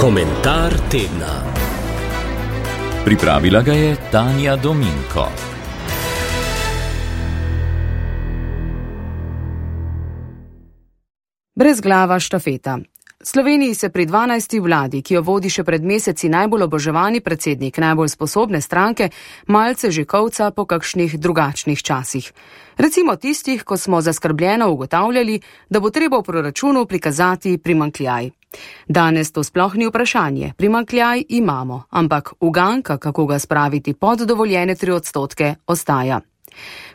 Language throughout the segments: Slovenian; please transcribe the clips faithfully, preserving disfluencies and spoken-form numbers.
Komentar tedna. Pripravila ga je Tanja Dominko. Brezglava štafeta. Sloveniji se pri dvanajsti vladi, ki jo vodi še pred meseci najbolj oboževani predsednik najbolj sposobne stranke, malce že kovca po kakšnih drugačnih časih. Recimo tistih, ko smo zaskrbljeno ugotavljali, da bo treba v proračunu prikazati primanjkljaj. Danes to sploh ni vprašanje, primanjkljaj imamo, ampak uganka, kako ga spraviti pod dovoljene tri odstotke, ostaja.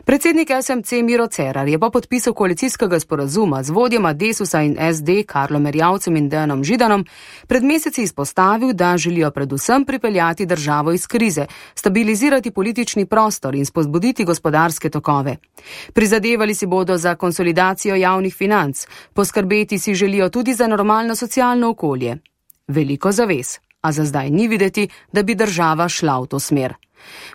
Predsednik es em ce Miro Cerar je po podpisu koalicijskega sporazuma z vodjema Desusa in es de Karlom Erjavcem in Dejanom Židanom pred meseci izpostavil, da želijo predvsem pripeljati državo iz krize, stabilizirati politični prostor in spodbuditi gospodarske tokove. Prizadevali si bodo za konsolidacijo javnih financ, poskrbeti si želijo tudi za normalno socialno okolje. Veliko zavez, a za zdaj ni videti, da bi država šla v to smer.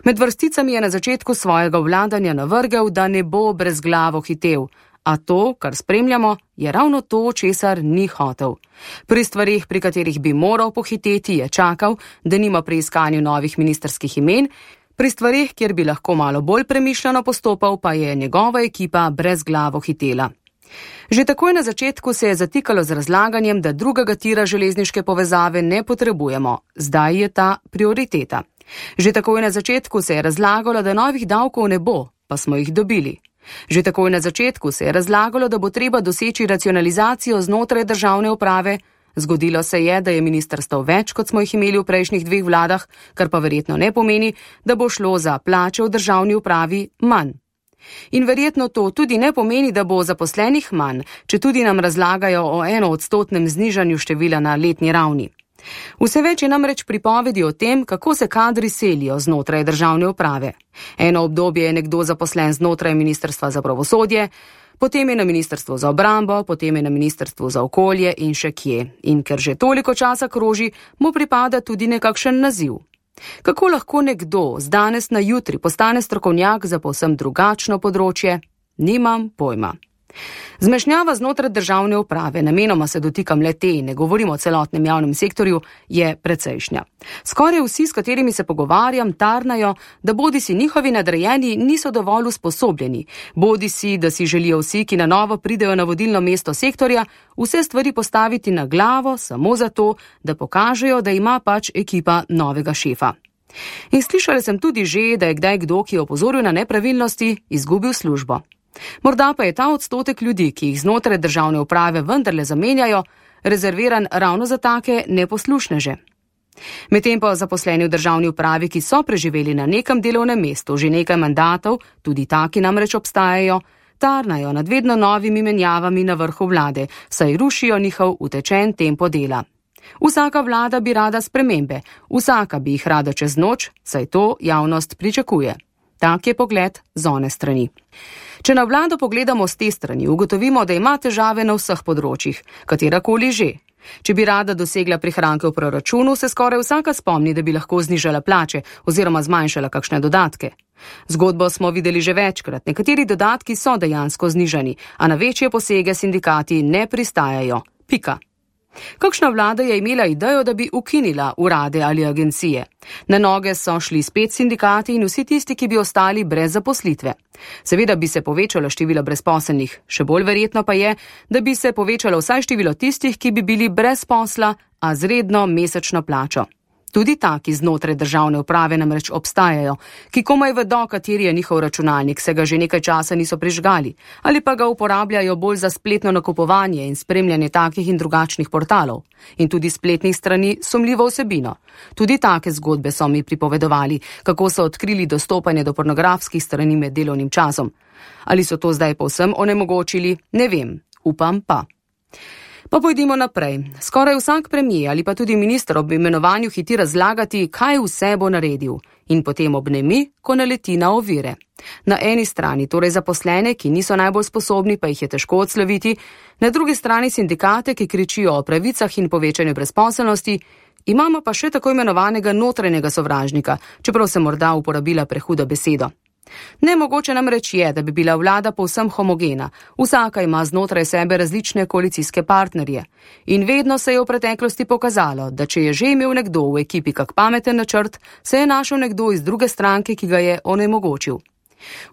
Med vrsticami je na začetku svojega vladanja navrgel, da ne bo brezglavo hitel, a to, kar spremljamo, je ravno to, česar ni hotel. Pri stvarih, pri katerih bi moral pohiteti, je čakal, da nima pri iskanju novih ministrskih imen, pri stvarih, kjer bi lahko malo bolj premišljeno postopal, pa je njegova ekipa brezglavo hitela. Že takoj na začetku se je zatikalo z razlaganjem, da drugega tira železniške povezave ne potrebujemo, zdaj je ta prioriteta. Že takoj na začetku se je razlagalo, da novih davkov ne bo, pa smo jih dobili. Že takoj na začetku se je razlagalo, da bo treba doseči racionalizacijo znotraj državne uprave. Zgodilo se je, da je ministrstev več, kot smo jih imeli v prejšnjih dveh vladah, kar pa verjetno ne pomeni, da bo šlo za plače v državni upravi manj. In verjetno to tudi ne pomeni, da bo zaposlenih manj, če tudi nam razlagajo o enoodstotnem znižanju števila na letni ravni. Vse več je namreč pripovedi o tem, kako se kadri selijo znotraj državne uprave. Eno obdobje je nekdo zaposlen znotraj Ministrstva za pravosodje, potem je na Ministrstvu za obrambo, potem je na Ministrstvu za okolje in še kje. In ker že toliko časa kroži, mu pripada tudi nekakšen naziv. Kako lahko nekdo z danes na jutri postane strokovnjak za povsem drugačno področje? Nimam pojma. Zmešnjava znotraj državne uprave, namenoma se dotikam le te, ne govorimo o celotnem javnem sektorju, je precejšnja. Skoraj vsi, s katerimi se pogovarjam, tarnajo, da bodi si njihovi nadrejeni niso dovolj usposobljeni, bodi si, da si želijo vsi, ki na novo pridejo na vodilno mesto sektorja, vse stvari postaviti na glavo samo zato, da pokažejo, da ima pač ekipa novega šefa. In slišala sem tudi že, da je kdaj kdo, ki je opozoril na nepravilnosti, izgubil službo. Morda pa je ta odstotek ljudi, ki jih znotraj državne uprave vendarle zamenjajo, rezerviran ravno za take neposlušneže. Medtem pa zaposleni v državni upravi, ki so preživeli na nekem delovnem mestu že nekaj mandatov, tudi taki namreč obstajajo, tarnajo nad vedno novimi menjavami na vrhu vlade, saj rušijo njihov utečen tempo dela. Vsaka vlada bi rada spremembe, vsaka bi jih rada čez noč, saj to javnost pričakuje. Tak je pogled z one strani. Če na vlado pogledamo z te strani, ugotovimo, da ima težave na vseh področjih, katerakoli že. Če bi rada dosegla prihranke v proračunu, se skoraj vsaka spomni, da bi lahko znižala plače oziroma zmanjšala kakšne dodatke. Zgodbo smo videli že večkrat, nekateri dodatki so dejansko znižani, a na večje posege sindikati ne pristajajo. Pika. Kakšna vlada je imela idejo, da bi ukinila urade ali agencije? Na noge so šli spet sindikati in vsi tisti, ki bi ostali brez zaposlitve. Seveda bi se povečalo število brezposelnih, še bolj verjetno pa je, da bi se povečalo vsaj število tistih, ki bi bili brez posla, a z redno mesečno plačo. Tudi taki znotraj državne uprave namreč obstajajo, ki komaj vedo, kateri je njihov računalnik, se ga že nekaj časa niso prižgali, ali pa ga uporabljajo bolj za spletno nakupovanje in spremljanje takih in drugačnih portalov. In tudi spletnih strani sumljivo vsebino. Tudi take zgodbe so mi pripovedovali, kako so odkrili dostopanje do pornografskih strani med delovnim časom. Ali so to zdaj povsem onemogočili? Ne vem, upam pa. Pa pojdimo naprej. Skoraj vsak premier ali pa tudi minister ob imenovanju hiti razlagati, kaj vse bo naredil. In potem obnemi, ko naleti na ovire. Na eni strani torej zaposlene, ki niso najbolj sposobni, pa jih je težko odsloviti, na drugi strani sindikate, ki kričijo o pravicah in povečanju brezposelnosti, imamo pa še tako imenovanega notranjega sovražnika, čeprav se morda uporabila prehuda beseda. Nemogoče namreč je, da bi bila vlada povsem homogena, vsaka ima znotraj sebe različne koalicijske partnerje. In vedno se je v preteklosti pokazalo, da če je že imel nekdo v ekipi kak pameten načrt, se je našel nekdo iz druge stranke, ki ga je onemogočil.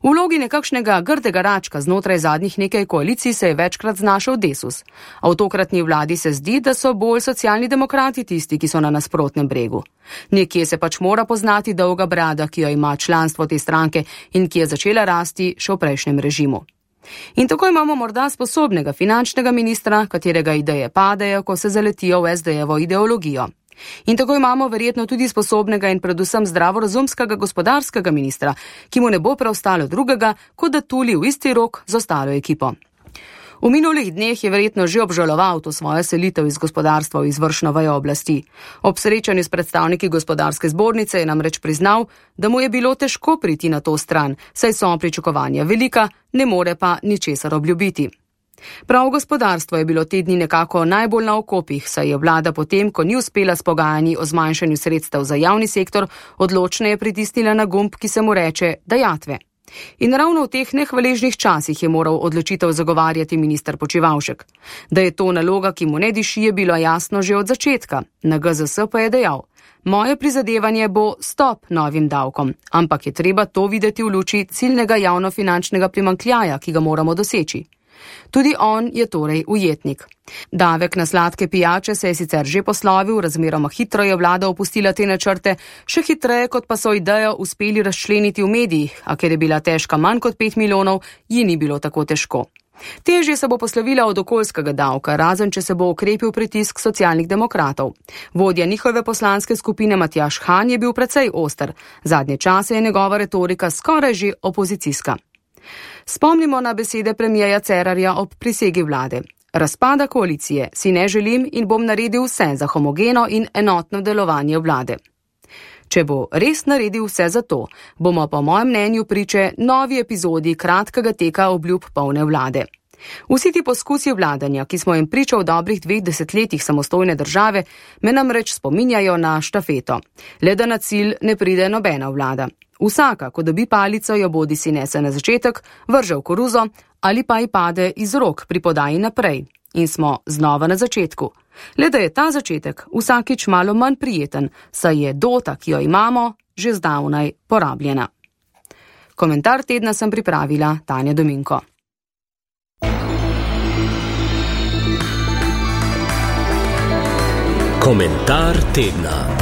V vlogi nekakšnega grdega račka znotraj zadnjih nekaj koalicij se je večkrat znašel Desus, a v tokratni vladi se zdi, da so bolj socialni demokrati tisti, ki so na nasprotnem bregu. Nekje se pač mora poznati dolga brada, ki jo ima članstvo te stranke in ki je začela rasti še v prejšnjem režimu. In tako imamo morda sposobnega finančnega ministra, katerega ideje padejo, ko se zaletijo v es de jevo ideologijo. In tako imamo verjetno tudi sposobnega in predvsem zdravorazumskega gospodarskega ministra, ki mu ne bo preostalo drugega, kot da tuli v isti rok z ostalo ekipo. V minulih dneh je verjetno že obžaloval to svojo selitev iz gospodarstva v izvršno vejo oblasti. Ob srečanju s predstavniki gospodarske zbornice je namreč priznal, da mu je bilo težko priti na to stran, saj so pričakovanja velika, ne more pa ničesar obljubiti. Prav gospodarstvo je bilo te dni nekako najbolj na okopih, saj je vlada potem, ko ni uspela s pogajanji o zmanjšanju sredstev za javni sektor, odločneje pritisnila na gumb, ki se mu reče dajatve. In ravno v teh nehvaležnih časih je moral odločitev zagovarjati minister Počivalšek. Da je to naloga, ki mu ne diši, je bilo jasno že od začetka. Na ge zes pa je dejal: moje prizadevanje bo stop novim davkom, ampak je treba to videti v luči ciljnega javnofinančnega primanjkljaja, ki ga moramo doseči. Tudi on je torej ujetnik. Davek na sladke pijače se je sicer že poslovil, razmeroma hitro je vlada opustila te načrte, še hitreje kot pa so idejo uspeli razčleniti v medijih, a ker je bila težka manj kot pet milijonov, ji ni bilo tako težko. Težje se bo poslovila od okoljskega davka, razen če se bo okrepil pritisk socialnih demokratov. Vodja njihove poslanske skupine Matjaž Han je bil precej oster, zadnje čase je njegova retorika skoraj že opozicijska. Spomnimo na besede premierja Cerarja ob prisegi vlade. Razpada koalicije si ne želim in bom naredil vse za homogeno in enotno delovanje vlade. Če bo res naredil vse za to, bomo po mojem mnenju priče novi epizodi kratkega teka obljub polne vlade. Vsi ti poskusi vladanja, ki smo jim priča v dobrih dveh desetletjih samostojne države, me namreč spominjajo na štafeto. Le da na cilj ne pride nobena vlada. Vsaka, ko dobi palico, jo bodi si nese na začetek, vrže v koruzo ali pa ji pade iz rok pri podaji naprej. In smo znova na začetku. Le da je ta začetek vsakič malo manj prijeten, saj je dota, ki jo imamo, že zdavnaj porabljena. Komentar tedna sem pripravila Tanja Dominko. Komentar tedna.